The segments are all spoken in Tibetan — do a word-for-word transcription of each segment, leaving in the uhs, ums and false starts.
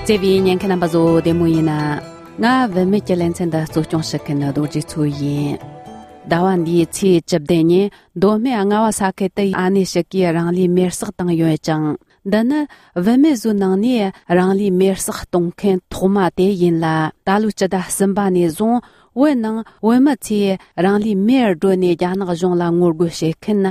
བརྩེ་བའི་ཉན་མཁན་རྣམ་པ་ཚོ་བདེ་མོ་ཡིན་ན། ང་བུད་མེད་ཀྱི་ལེ་ཚན་འདི་གཙོ་སྐྱོང་བྱེད་མཁན་རྡོ་རྗེ་མཚོ་ཡིན། ཟླ་བ་འདིའི་ཚེས་བཅུ་བདུན་ཉིན་མདོ་སྨད་རྔ་བ་ས་ཁུལ་དུ་ཨ་ནེ་ཞིག་གིས་རང་ལུས་མེར་སྲེག་བཏང་ཡོད་ཅིང་། འདི་ནི་བུད་མེད་ཚོའི་ནང་ནས་རང་ལུས་མེར་སྲེག་གཏོང་མཁན་ཐོག་མ་དེ་ཡིན་ལ། ད་ལོའི་སྤྱི་ཟླ་གསུམ་པ་ནས་བཟུང་བོད་ནང་བོད་མི་ཚོས་རང་ལུས་མེར་སྒྲོན་ནས་རྒྱ་ནག་གཞུང་ལ་ངོ་རྒོལ་བྱེད་མཁན་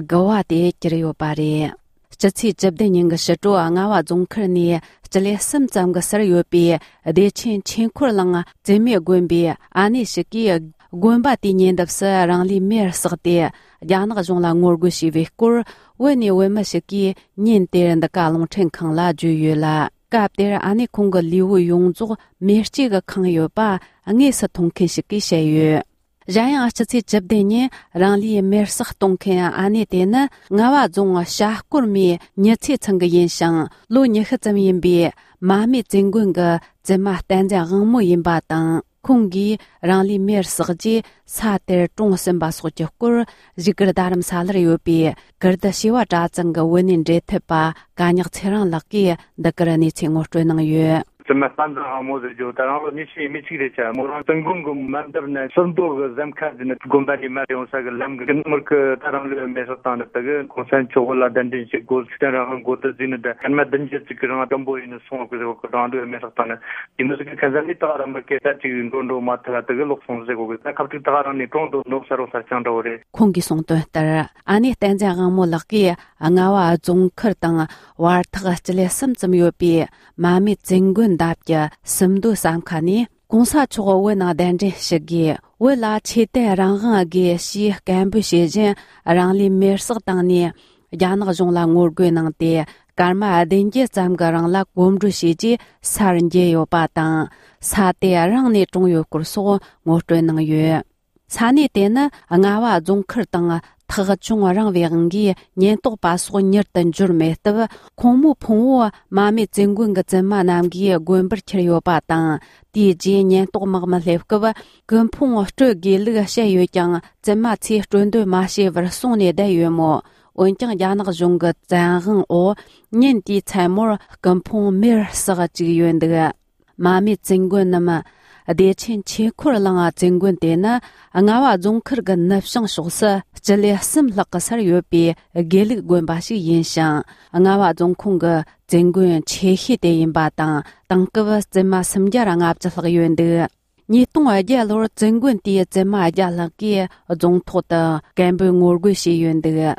དགུ་བ་དེ་གྱུར་ཡོད་པ་རེད། སྤྱི་ཚེས་བཅུ་བདུན་ཉིན་གྱི་ཕྱི་དྲོ་རྔ་བ་རྫོང་ཁུལ་ནས་སྤྱི་ལེ་གསུམ་ཙམ་གྱི་སར་ཡོད་པའི་བདེ་ཆེན་ཆོས་འཁོར་གླིང་བཙུན་མའི་དགོན་པའི་ཨ་ནེ་ཞིག་གིས་དགོན་པ་དེའི་ཉེ་འདབས་སུ་རང་ལུས་མེར་བསྲེགས་ཏེ་རྒྱ་ནག་གཞུང་ལ་ངོ་རྒོལ་བྱས་པའི་སྐོར་བོད་ནས་བོད་མི་ཞིག་གིས་ཉིན་དེར་འདི་ག་རླུང་འཕྲིན་ཁང་ལ་བརྗོད་ཡོད་ལ། སྐབས་དེར་ཨ་ནེ་ཁོང་གི་ལུས་པོ་ཡོངས་རྫོགས་མེ་ལྕེ་གིས་ཁེངས་ཡོད་པ་དངོས་སུ་མཐོང་མཁན་ཞིག་གིས་བཤད་ཡོད། གཞན་ཡང་སྤྱི་ཚེས་བཅུ་བདུན་ཉིན་རང་ལུས་མེར་སྲེག་གཏོང་མཁན་ཨ་ནེ་དེ་ནི་རྔ་བ་རྫོང་ཤ་སྐོར་མའི་ཉི་ཚེ་ཚང་གི་ཡིན་ཞིང་། ལོ་ཉི་ཤུ་ཙམ་ཡིན་པའི་མ་སྨད་བཙུན་དགོན་གྱི་བཙུན་མ་བསྟན་འཛིན་དབང་མོ་ཡིན་པ་དང་། ཁོང་གིས་རང་ལུས་མེར་བསྲེགས་རྗེས་ས་དེར་གྲོངས་ཟིན་པ་སོགས་ཀྱི་སྐོར་བཞུགས་སྒར་རྡ་རམ་ས་ལར་ཡོད་པའི་ཀིརྟི་བྱེས་པ་གྲྭ་ཚང་གི་བོད་གནས་འབྲེལ་མཐུད་པ་ག་ཉག་ཚེ་རིང་ལགས་ཀྱིས་འདི་གར་གནས་ཚུལ་ངོ་སྤྲོད་གནང་ཡོད། བཙུན་མ་བསྟན་འཛིན་དབང་མོ་ཟེར་རྒྱུ་ད་རང་ལོ་ཉི་ཤུ་ཡས་མས་གཅིག་རེད་ཆ། མོ་རང་བཙུན་དགོན་གྱི་མ་འདབས་ནས་ཕྱིར་མདོ་གི་ཟམ་ཁ་འདི་ནས་དགོན་པ་དེ་མར་ཡོང་ས་གི་ལམ་གྱི་ནུབ་མོར་གི་ད་རང་ལུས་མེ་སྲེག་བཏང་ནས་དེ་གི་གོང་ས་མཆོག་ལ་གདན་འདྲེན་བྱེད་དགོས། ཚིག་དོན་རང་དབང་དགོས་དུ་བཟོས་ནས་ད་སྐར་མ་བདུན་བརྒྱད་ཅིག་གི་རིང་སྐམ་པོ་ཡིན་ནས་སོང་བ་གི་ཟེར་བ་གི་རང་ལུས་མེ་སྲེག་བཏང་ནས་ཡིན་ནོ་ཟེར་གི་ཁ་ཟས་ནི་ད་རང་མི་སྐད་ཆ་ཅིག་འགྲོ་འགྲོ་མ་ཐུབ་ལ་དེ་གི་ལོག་སོང་ཟེར་གོ་གི། ད་ཁ་ཐུག་ད་རང་ནས་གྲོངས་འདུག་ནོ་ས་རོ་ས་ཆང་འདྲ་བོ་རེད། ཁོང་གིས་གསུངས་དོན་ལྟར་ཨ་ནེ་བསྟན་འཛིན་དབང་མོ་ལགས་ཀྱིས་རྔ་བ་རྫོང་ཁུལ་དང་བར་ཐག་སྤྱི་ལེ་གསུམ་ཙམ་ཡོད་པའི་མ་སྨད་བཙུན་དགོན་འདབས་ཀྱི་ཕྱིར་མདོ་ཟམ་ཁ་ནས་གོང་ས་མཆོག་བོད་ནང་གདན་འདྲེན་ཞུ་དགོས། བོད་ལ་ཆོས་དད་རང་དབང་དགོས་ཞེས་སྐད་འབོད་བྱེད་བཞིན་རང་ལུས་མེར་སྲེག་བཏང་ནས་རྒྱ་ནག་གཞུང་ལ་ངོ་རྒོལ་གནང་སྟེ་སྐར་མ་བདུན་བརྒྱད་ཙམ་གྱི་རིང་ལ་གོམ་བགྲོད་བྱས་རྗེས་སར་འགྱེལ་ཡོད་པ་དང་། ས་དེ་རང་ནས་གྲོངས་ཡོད་སྐོར་སོགས་ངོ་སྤྲོད་གནང་ཡོད། ས་གནས་དེ་ནི་རྔ་བ་རྫོང་ཁུལ་དང་ཐག་ཅུང་རིང་བའི་དབང་གིས་ཉེན་རྟོག་པ་སོགས་མྱུར་དུ་འབྱོར་མེད་སྟབས། ཁོང་མོའི་ཕུང་བོ་མ་སྨད་བཙུན་དགོན་གྱི་བཙུན་མ་རྣམས་ཀྱིས་དགོན་པར་ཁྱེར་ཡོད་པ་དང་། དེའི་རྗེས་ཉེན་རྟོག་དམག་མི་སླེབས་སྐབས་སྐུ་ཕུང་སྤྲོད་དགོས་ལུགས་བཤད་ཡོད་ཀྱང་། བཙུན་མ་ཚོས་སྤྲོད་འདོད་མ་བྱས་པར་སོང་ནས་བསྡད་ཡོད་མོད། འོན་ཀྱང་རྒྱ་ནག་གཞུང་གི་བཙན་དབང་འོག་ཉིན་དེའི་མཚན་མོར་སྐུ་ཕུང་མེར་བསྲེགས་བཅུག་ཡོད་འདུག། མ་སྨད་བཙུན་དགོན་ནམ། བདེ་ཆེན་ཆོས་འཁོར་གླིང་བཙུན་དགོན་དེ་ནི་རྔ་བ་རྫོང་ཁུལ་གྱི་ནུབ་བྱང་ཕྱོགས་སུ་སྤྱི་ལེ་གསུམ་ལྷག་གི་སར་ཡོད་པའི་དགེ་ལུགས་དགོན་པ་ཞིག་ཡིན་ཞིང་། རྔ་བ་རྫོང་ཁོངས་ཀྱི་བཙུན་དགོན་ཆེ་ཤོས་དེ་ཡིན་པ་དང་། དེང་སྐབས་བཙུན་མ་སུམ་བརྒྱ་ལྔ་བཅུ་ལྷག་ཡོད་འདུག། ཉིས་སྟོང་བརྒྱད་ལོར་བཙུན་དགོན་དེའི་བཙུན་མ་བརྒྱ་ལྷག་གིས་རྫོང་ཐོག་ཏུ་སྐད་འབོད་ངོ་རྒོལ་བྱས་ཡོད་འདུག།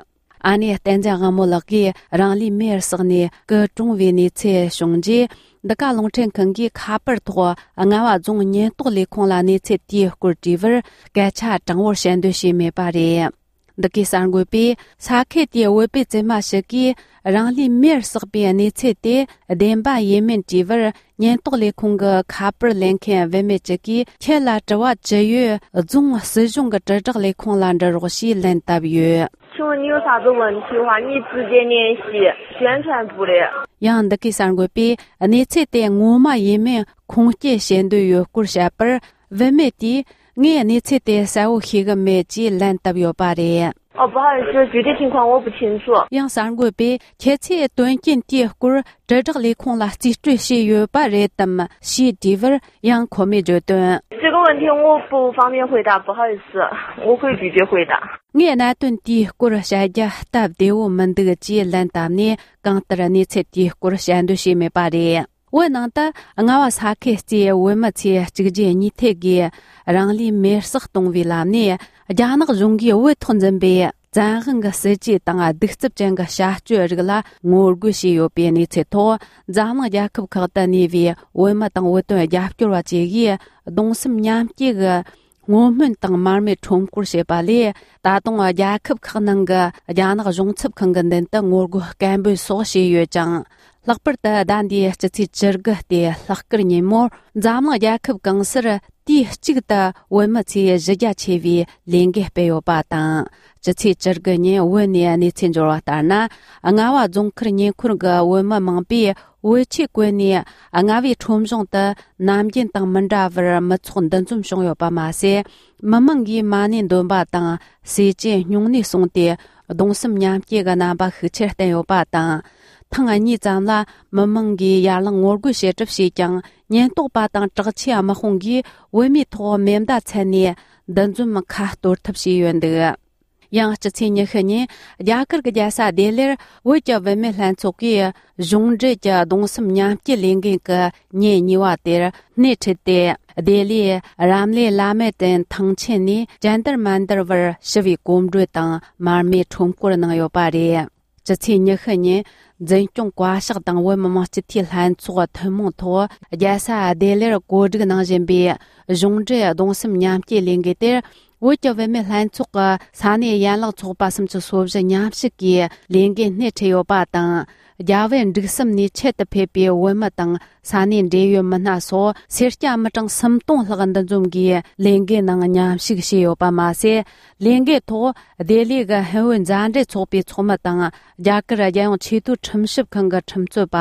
ཨ་ནེ་བསྟན་འཛིན་དབང་མོ་ལགས་ཀྱིས་རང་ལུས་མེར་བསྲེགས་ནས་སྐུ་གྲོངས་པའི་གནས་ཚུལ་བྱུང་རྗེས། འདི་ག་རླུང་འཕྲིན་ཁང་གིས་ཁ་པར་ཐོག་རྔ་བ་རྫོང་ཉེན་རྟོག་ལས་ཁུངས་ལ་གནས་ཚུལ་དེའི་སྐོར་དྲིས་པར། སྐད་ཆ་དྲང་བོར་བཤད་འདོད་བྱས་མེད་པ་རེད། འདི་གའི་གསར་འགོད་པས་ས་ཁུལ་དེའི་བོད་པའི་བཙུན་མ་ཞིག་གིས་རང་ལུས་མེར་བསྲེགས་པའི་གནས་ཚུལ་དེ་བདེན་པ་ཡིན་མིན་དྲིས་པར། ཉེན་རྟོག་ལས་ཁུངས་ཀྱི་ཁ་པར་ལེན་མཁན་བུད་མེད་ཅིག་གིས། ཁྱེད་ལ་དྲི་བ་ཅི་ཡོད། རྫོང་སྲིད་གཞུང་གི་དྲིལ་བསྒྲགས་ལས་ཁུངས་ལ་འདྲི་རོགས་ཞེས་ལན་བཏབ་ཡོད། 请问你有啥子问题的话，你直接联系宣传部的。 ཡང་འདི་གའི་གསར་འགོད་པས་གནས་ཚུལ་དེ་ངོ་མ་ཡིན་མིན་ཁུངས་སྐྱེལ་བྱེད་འདོད་ཡོད་སྐོར་བཤད་པར། བུད་མེད་དེས་ངས་གནས་ཚུལ་དེ་གསལ་བོ་ཤེས་ཀྱི་མེད་ཅེས་ལན་བཏབ་ཡོད་པ་རེད། 哦，不好意思，具体情况我不清楚。 ཡང་གསར་འགོད་པས་ཁྱེད་ཚོས་དོན་རྐྱེན་དེའི་སྐོར་དྲིལ་བསྒྲགས་ལས་ཁུངས་ལ་རྩིས་སྤྲོད་བྱས་ཡོད་པ་རེད་དམ་ཞེས་དྲིས་པར། ཡང་ཁོ་མོས་བརྗོད་དོན། 这个问题我不方便回答，不好意思，我会拒绝回答。 ངས་གནད་དོན་དེའི་སྐོར་བཤད་རྒྱུ་སྟབས་བདེ་བོ་མི་འདུག་ཅེས་ལན་བཏབ་ནས། གང་ལྟར་གནས་ཚུལ་དེའི་སྐོར་བཤད་འདོད་བྱས་མེད་པ་རེད། བོད་ནང་དུ་རྔ་བ་ས་ཁུལ་གཙོས་བོད་མི་ཚོས་གཅིག་རྗེས་གཉིས་མཐུད་ཀྱིས་རང་ལུས་མེར་བསྲེགས་གཏོང་བའི་ལམ་ནས། རྒྱ་ནག་གཞུང་གིས་བོད་ཐོག་འཛིན་པའི་བཙན་དབང་གི་སྲིད་ཇུས་དང་གདུག་རྩུབ་ཅན་གྱི་བྱ་སྤྱོད་རིགས་ལ་ངོ་རྒོལ་བྱས་ཡོད་པའི་གནས་ཚུལ་ཐོག་འཛམ་གླིང་རྒྱལ་ཁབ་ཁག་ཏུ་གནས་པའི་བོད་མི་དང་བོད་དོན་རྒྱབ་སྐྱོར་བ་བཅས་ཀྱིས་གདུང་སེམས་མཉམ་སྐྱེད་ཀྱི་བསྔོ་སྨོན་དང་མར་མེ་ཁྲོམ་སྐོར་བྱས་པ་ལས། ད་དུང་རྒྱལ་ཁབ་ཁག་ནང་གི་རྒྱ་ནག་གཞུང་ཚབ་ཁང་གི་མདུན་དུ་ངོ་རྒོལ་སྐད་འབོད་སོགས་བྱས་ཡོད་ཅིང་། ལྷག་པར་དུ་ཟླ་འདིའི་སྤྱི་ཚེས་བཅུ་དགུ་སྟེ་ལྷག་དཀར་ཉིན་མོར་འཛམ་གླིང་རྒྱལ་ཁབ་གང་སར་དུས་གཅིག་ཏུ་བོད་མི་ཚོས་གཞི་རྒྱ་ཆེ་བའི་ལས་འགུལ་སྤེལ་ཡོད་པ་དང་། སྤྱི་ཚེས་བཅུ་དགུ་ཉིན་བོད་ནས་གནས་ཚུལ་འབྱོར་བ་ལྟར་ན། རྔ་བ་རྫོང་ཁུལ་ཉེ་འཁོར་གྱི་བོད་མི་མང་པོས་བོད་ཆས་གོན་ནས། རྔ་བའི་ཁྲོམ་གཞུང་དུ་ནམ་རྒྱུན་དང་མི་འདྲ་བར་མི་ཚོགས་འདུ་འཛོམས་བྱུང་ཡོད་པ་མ་ཟད། མི་མང་གིས་མ་ཎི་འདོན་པ་དང་། ཟས་བཅད་སྨྱུང་གནས་སོང་སྟེ། གདུང་སེམས་མཉམ་སྐྱེད་ཀྱི་རྣམ་པ་ཤུགས་ཆེར་བསྟན་ཡོད་པ་དང་། ཐེངས་གཉིས་ཙམ་ལ་མི་མང་གིས་ཡར་ལངས་ངོ་རྒོལ་བྱེད་གྲབས་བྱས་ཀྱང་། ཉེན་རྟོག་པ་དང་དྲག་ཆས་དམག་དཔུང་གིས་བོད་མིའི་ཐོག་མེ་མདའ་འཚེན་ནས་འདུ་འཛོམས་ཁ་གཏོར་ཐབས་བྱས་ཡོད་འདུག། ཡང་སྤྱི་ཚེས་ཉི་ཤུ་ཉིན་རྒྱ་གར་གྱི་རྒྱལ་ས་ལྡི་ལིར་བོད་ཀྱི་བུད་མེད་ལྷན་ཚོགས་ཀྱིས་གཞུང་འབྲེལ་གྱི་གདུང་སེམས་མཉམ་སྐྱེད་ལས་འགུལ་གྱི་ཉིན་གཉིས་པ་དེར་སྣེ་ཁྲིད་དེ། ལྡི་ལིའི་རམ་ལི་ལ་མེ་ཏན་ཐང་ཆེན་ནས་ཇན་ཏར་མན་ཏར་བར་ཞི་བའི་གོམ་བགྲོད་དང་མར་མེ་ཁྲོམ་སྐོར་གནང་ཡོད་པ་རེད། སྤྱི་ཚེས་ཉི་ཤུ་ཉིན་འཛིན་སྐྱོང་བཀའ་ཤག་དང་བོད་མི་མང་སྤྱི་འཐུས་ལྷན་ཚོགས་ཐུན་མོང་ཐོག་རྒྱལ་ས་ལྡི་ལིར་གོ་སྒྲིག་གནང་བཞིན་པའི་གཞུང་འབྲེལ་གདུང་སེམས་མཉམ་སྐྱེད་ལས་འགུལ་དེར། བོད་ཀྱི་བུད་མེད་ལྷན་ཚོགས་ཀྱི་ས་གནས་ཡན་ལག་ཚོགས་པ་སུམ་ཅུ་སོ་བཞི་མཉམ་ཞུགས་ཀྱིས་ལས་འགུལ་སྣེ་ཁྲིད་ཡོད་པ་དང་། རྒྱ་བལ་འབྲུག་གསུམ་ནས་ཆེད་དུ་ཕེབས་པའི་བོད་མི་དང་ས་གནས་འབྲེལ་ཡོད་མི་སྣ་སོགས་སེར་སྐྱ་མི་གྲངས་སུམ་སྟོང་ལྷག་འདུ་འཛོམས་ཀྱིས་ལས་འགུལ་ནང་མཉམ་ཞུགས་བྱས་ཡོད་པ་མ་ཟད། ལས་འགུལ་ཐོག་ལྡི་ལི་གི་ཧིན་བོད་མཛའ་འབྲེལ་ཚོགས་པའི་ཚོགས་མི་དང་། རྒྱ་གར་རྒྱལ་ཡོངས་ཆེས་མཐོའི་ཁྲིམས་ཞིབ་ཁང་གི་ཁྲིམས་རྩོད་པ།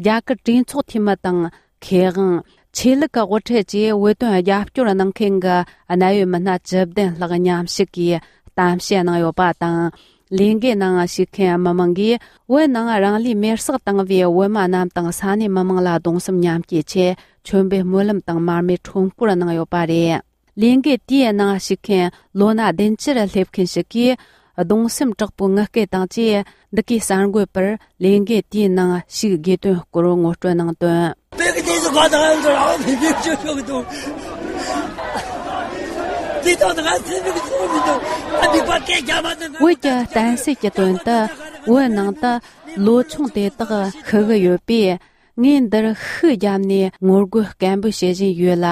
རྒྱ་གར་གྲོས་ཚོགས་འཐུས་མི་དང་། མཁས་དབང་། ཆོས་ལུགས་ཀྱི་དབུ་ཁྲིད་བཅས་བོད་དོན་རྒྱབ་སྐྱོར་གནང་མཁན་གྱི་གནད་ཡོད་མི་སྣ་བཅུ་བདུན་ལྷག་མཉམ་ཞུགས་ཀྱིས་གཏམ་བཤད་གནང་ཡོད་པ་དང་། ལས་འགུལ་ནང་ཞུགས་མཁན་མི་མང་གིས་བོད་ནང་རང་ལུས་མེར་སྲེག་བཏང་བའི་བོད་མི་རྣམས་དང་ས་གནས་མི་མང་ལ་གདུང་སེམས་མཉམ་སྐྱེད་ཆེད་མཆོད་འབུལ་སྨོན་ལམ་དང་མར་མེ་ཁྲོམ་སྐོར་གནང་ཡོད་པ་རེད། ལས་འགུལ་དེའི་ནང་ཞུགས་མཁན་ལོ་ན་བདུན་ཅུར་སླེབས་མཁན་ཞིག་གིས། གདུང་སེམས་དྲག་པོའི་ངུ་སྐད་དང་བཅས། འདི་གའི་གསར་འགོད་པར་ལས་འགུལ་དེའི་ནང་ཞུགས་དགོས་དོན་སྐོར་ངོ་སྤྲོད་གནང་དོན། བོད་ཀྱི་དེ་ཚོ་ག་དང་ཚོ་རང་ཕན་ཚུན་ཆོས་ཆོས་ཀྱི་འདུག། དེ་དང་ང་སེམས་ཀྱི་ཚོར་མི་འདུག། ཨ་མི་པ་སྐད་རྒྱག་མ་ཐུབ་ན། བོད་ཀྱི་བསྟན་སྲིད་ཀྱི་དོན་དུ་བོད་ནང་དུ་ལོ་ཆུང་དེ་དག་ཤི་གི་ཡོད་པས། ངས་འདིར་ཤུགས་བརྒྱབ་ནས་ངོ་རྒོལ་སྐད་འབོད་བྱེད་བཞིན་ཡོད་ལ།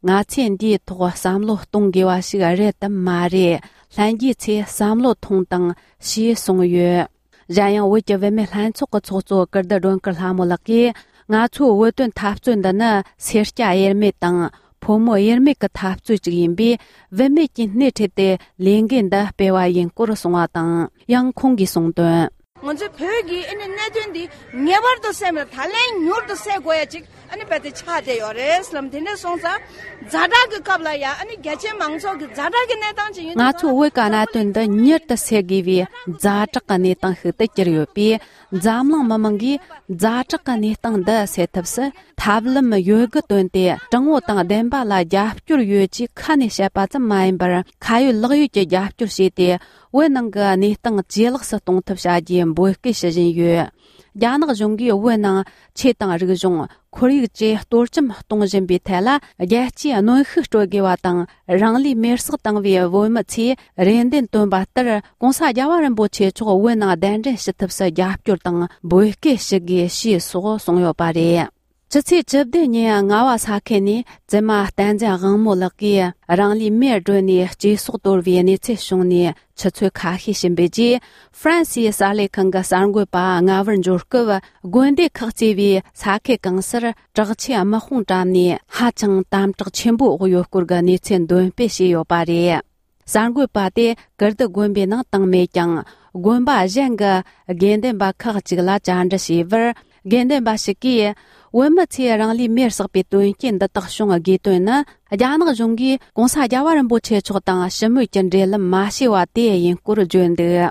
ང་ཚོས་འདིའི་ཐོག་བསམ་བློ་གཏོང་དགོས་པ་ཞིག་རེད་དམ་མ་རེད། ལྷན་རྒྱས་ཚོས་བསམ་བློ་ཐོངས་དང་ཞེས་གསུངས་ཡོད། གཞན་ཡང་། བོད་ཀྱི་བུད་མེད་ལྷན་ཚོགས་ཀྱི་ཚོགས་གཙོ་ཀིརྟི་སྒྲོལ་དཀར་ལྷ་མོ་ལགས་ཀྱིས། ང་ཚོའི་བོད་དོན་འཐབ་རྩོད་འདི་ནི་སེར་སྐྱ་དབྱེར་མེད་དང་ཕོ་མོ་དབྱེར་མེད་ཀྱི་འཐབ་རྩོད་ཅིག་ཡིན་པས། བུད་མེད་ཀྱིས་སྣེ་ཁྲིད་དེ་ལས་འགུལ་འདི་སྤེལ་བ་ཡིན་སྐོར་གསུངས་པ་དང་། ཡང་ཁོང་གིས་གསུངས་དོན། ང་ཚོའི་བོད་ཀྱི་ཨ་ནི་གནད་དོན་འདི་ངེས་པར་དུ་སེལ་མེད། ད་ལན་མྱུར་དུ་སེལ་དགོས་ཡ་ཅིག་ཨ་ནི་རྦད་དེ་ཆགས་བསྡད་ཡོད་རེད་ལབ། དེ་འདྲ་སོང་ཙང་ཛ་དྲག་གི་སྐབས་ལ་ཡ་ཨ་ནི་རྒྱ་ཆེའི་མང་ཚོགས་ཀྱི་ཛ་དྲག་གི་གནས་སྟངས་ཅིག་ཡིན། ང་ཚོ་བོད་ཀྱི་གནད་དོན་འདི་མྱུར་དུ་སེལ་དགོས་པའི་ཛ་དྲག་གི་གནས་སྟངས་ཤིག་ཏུ་གྱུར་ཡོད་པས། འཛམ་གླིང་མི་མང་གིས་ཛ་དྲག་གི་གནས་སྟངས་འདི་སེལ་ཐབས་སུ་ཐབས་ལམ་ཡོད་དགུ་བཏོན་ཏེ། དྲང་བོ་དང་བདེན་པ་ལ་རྒྱབ་སྐྱོར་ཡོད་ཅེས་ཁ་ནས་བཤད་པ་ཙམ་མ་ཡིན་པར། ཁ་ཡོད་ལག་ཡོད་ཀྱི་རྒྱབ་སྐྱོར་བྱས་ཏེ། བོད་ནང་གི་གནས་སྟངས་ཇེ་ལེགས་སུ་གཏོང་ཐབས་བྱ་རྒྱུའི་འབོད་སྐུལ་ཞུ་བཞིན་ཡོད། རྒྱ་ནག་གཞུང་གིས་བོད་ནང་ཆོས་དང་རིག་གཞུང་། ཁོར་ཡུག་བཅས་གཏོར་བཅོམ་གཏོང་བཞིན་པའི་ཐད་ལ། རྒྱལ་སྤྱིའི་གནོན་ཤུགས་སྤྲོད་དགོས་པ་དང་། རང་ལུས་མེར་སྲེག་བཏང་བའི་བོད་མི་ཚོས་རེ་འདུན་བཏོན་པ་ལྟར། ྋགོང་ས་རྒྱལ་བ་རིན་པོ་ཆེ་མཆོག་བོད་ནང་གདན་འདྲེན་ཞུ་ཐབས་སུ་རྒྱབ་སྐྱོར་དང་འབོད་སྐུལ་ཞུ་དགོས་ཞེས་སོགས་གསུངས་ཡོད་པ་རེད། ཕྱི་ཚེས་བཅུ་བདུན་ཉིན་རྔ་བ་ས་ཁུལ་ནས་བཙུན་མ་བསྟན་འཛིན་དབང་མོ་ལགས་ཀྱིས་རང་ལུས་མེར་སྒྲོན་ནས་གཅེས་སྲོག་དོར་བའི་གནས་ཚུལ་བྱུང་ནས་ཆུ་ཚོད་ཁ་ཤས་ཕྱིན་པའི་རྗེས། ཧྥ་རན་སིའི་གསར་ལས་ཁང་གི་གསར་འགོད་པ་རྔ་བར་འབྱོར་སྐབས། དགོན་སྡེ་ཁག་གཙོས་པའི་ས་ཁུལ་གང་སར་དྲག་ཆས་དམག་དཔུང་བཀྲམ་ནས་ཧ་ཅང་དམ་དྲག་ཆེན་པོའི་འོག་ཡོད་སྐོར་གྱི་གནས་ཚུལ་འདོན་སྤེལ་བྱས་ཡོད་པ་རེད། གསར་འགོད་པ་དེ་ཀིརྟི་དགོན་པའི་ནང་བཏང་མེད་ཀྱང་། དགོན་པ་གཞན་གྱི་དགེ་འདུན་པ་ཁག་ཅིག་ལ་བཅར་འདྲི་བྱས་པར། དགེ་འདུན་པ་ཞིག་གིས། བོད་མི་ཚོས་རང་ལུས་མེར་བསྲེགས་པའི་དོན་རྐྱེན་འདི་དག་བྱུང་དགོས་དོན་ནི། རྒྱ་ནག་གཞུང་གིས་ྋགོང་ས་རྒྱལ་བ་རིན་པོ་ཆེ་མཆོག་དང་ཞི་མོལ་གྱི་འབྲེལ་ལམ་མ་བྱས་པ་དེ་ཡིན་སྐོར་བརྗོད་འདུག།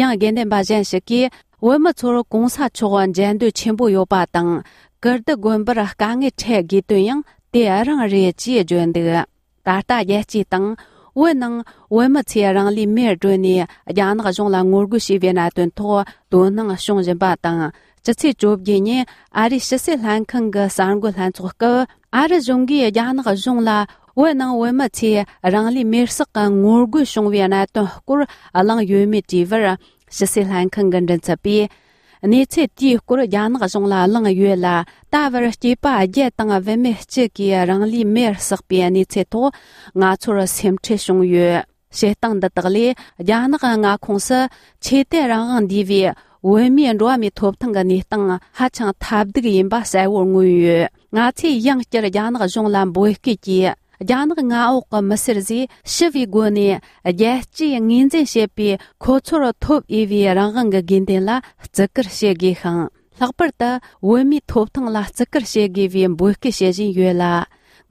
ཡང་དགེ་འདུན་པ་གཞན་ཞིག་གིས། བོད་མི་ཚོར་ྋགོང་ས་མཆོག་མཇལ་འདོད་ཆེན་པོ་ཡོད་པ་དང་། ཀིརྟི་དགོན་པར་དཀའ་ངལ་འཕྲད་དགོས་དོན་ཡང་དེ་རང་རེད་ཅེས་བརྗོད་འདུག། ད་ལྟ་རྒྱལ་སྤྱིའི་སྟེང་། བོད་ནང་བོད་མི་ཚོས་རང་ལུས་མེར་སྒྲོན་ནས་རྒྱ་ནག་གཞུང་ལ་ངོ་རྒོལ་བྱས་པའི་གནད་དོན་ཐོག་དོ་སྣང་བྱུང་བཞིན་པ་དང་། སྤྱི་ཚེས་བཅོ་བརྒྱད་ཉིན་ཨ་རིའི་ཕྱི་སྲིད་ལྷན་ཁང་གི་གསར་འགོད་ལྷན་ཚོགས་སྐབས། ཨ་རི་གཞུང་གིས་རྒྱ་ནག་གཞུང་ལ་བོད་ནང་བོད་མི་ཚོས་རང་ལུས་མེར་བསྲེགས་ཀྱི་ངོ་རྒོལ་བྱུང་བའི་གནད་དོན་སྐོར་གླེང་ཡོད་མེད་དྲིས་པར། ཕྱི་སྲིད་ལྷན་ཁང་གི་མགྲིན་ཚབ་པས། གནས་ཚུལ་དེའི་སྐོར་རྒྱ་ནག་གཞུང་ལ་གླེང་ཡོད་ལ། ད་བར་སྐྱེས་པ་བརྒྱད་དང་བུད་མེད་གཅིག་གིས་རང་ལུས་མེར་བསྲེགས་པའི་གནས་ཚུལ་ཐོག་ང་ཚོར་སེམས་ཁྲལ་བྱུང་ཡོད། བྱེད་སྟངས་འདི་དག་ལས། རྒྱ་ནག་མངའ་ཁོངས་སུ་ཆོས་དད་རང་དབང་འདུས་པའི་བོད་མིའི་འགྲོ་བ་མིའི་ཐོབ་ཐང་གི་གནས་སྟངས་ཧ་ཅང་ཐབས་སྡུག་ཡིན་པ་གསལ་བོར་མངོན་ཡོད། ང་ཚོས་ཡང་བསྐྱར་རྒྱ་ནག་གཞུང་ལ་འབོད་སྐུལ་གྱིས། རྒྱ་ནག་མངའ་འོག་གི་མི་སེར་ཚོས་ཞི་བའི་སྒོ་ནས་རྒྱལ་སྤྱིའི་ངོས་འཛིན་བྱེད་པའི་ཁོ་ཚོར་ཐོབ་འོས་པའི་རང་དབང་གི་དགོས་འདུན་ལ་བརྩི་བཀུར་བྱེད་དགོས་ཤིང་། ལྷག་པར་དུ་བོད་མིའི་ཐོབ་ཐང་ལ་བརྩི་བཀུར་བྱེད་དགོས་པའི་འབོད་སྐུལ་བྱེད་བཞིན་ཡོད་ལ།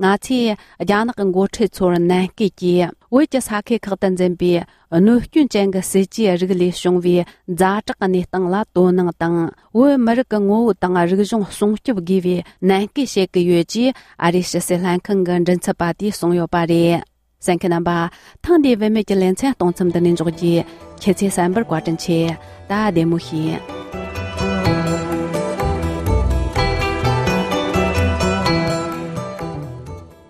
ང་ཚོས་རྒྱ་ནག་གི་འགོ་ཁྲིད་ཚོར་ནན་སྐུལ་གྱིས། བོད་ཀྱི་ས་ཁུལ་ཁག་ཏུ་འཛིན་པའི་གནོད་སྐྱོན་ཅན་གྱི་སྲིད་ཇུས་རིགས་ལས་བྱུང་བའི་ཛ་དྲག་གི་གནས་སྟངས་ལ་དོ་སྣང་དང་། བོད་མི་རིགས་ཀྱི་ངོ་བོ་དང་རིག་གཞུང་སྲུང་སྐྱོབ་དགོས་པའི་ནན་སྐུལ་བྱེད་ཀྱི་ཡོད་ཅེས་ཨ་རིའི་ཕྱི་སྲིད་ལྷན་ཁང་གི་མགྲིན་ཚབ་པ་དེས་གསུངས་ཡོད་པ་རེད། གསན་མཁན་རྣམ་པ། ཐེངས་འདིའི་བུད་མེད་ཀྱི་ལེ་ཚན་གཏོང་མཚམས་འདི་ནས་འཇོག་རྒྱུ། ཁྱེད་ཚོས་གསན་པར་བཀའ་དྲིན་ཆེ། ད་བདེ་མོ་བྱོས།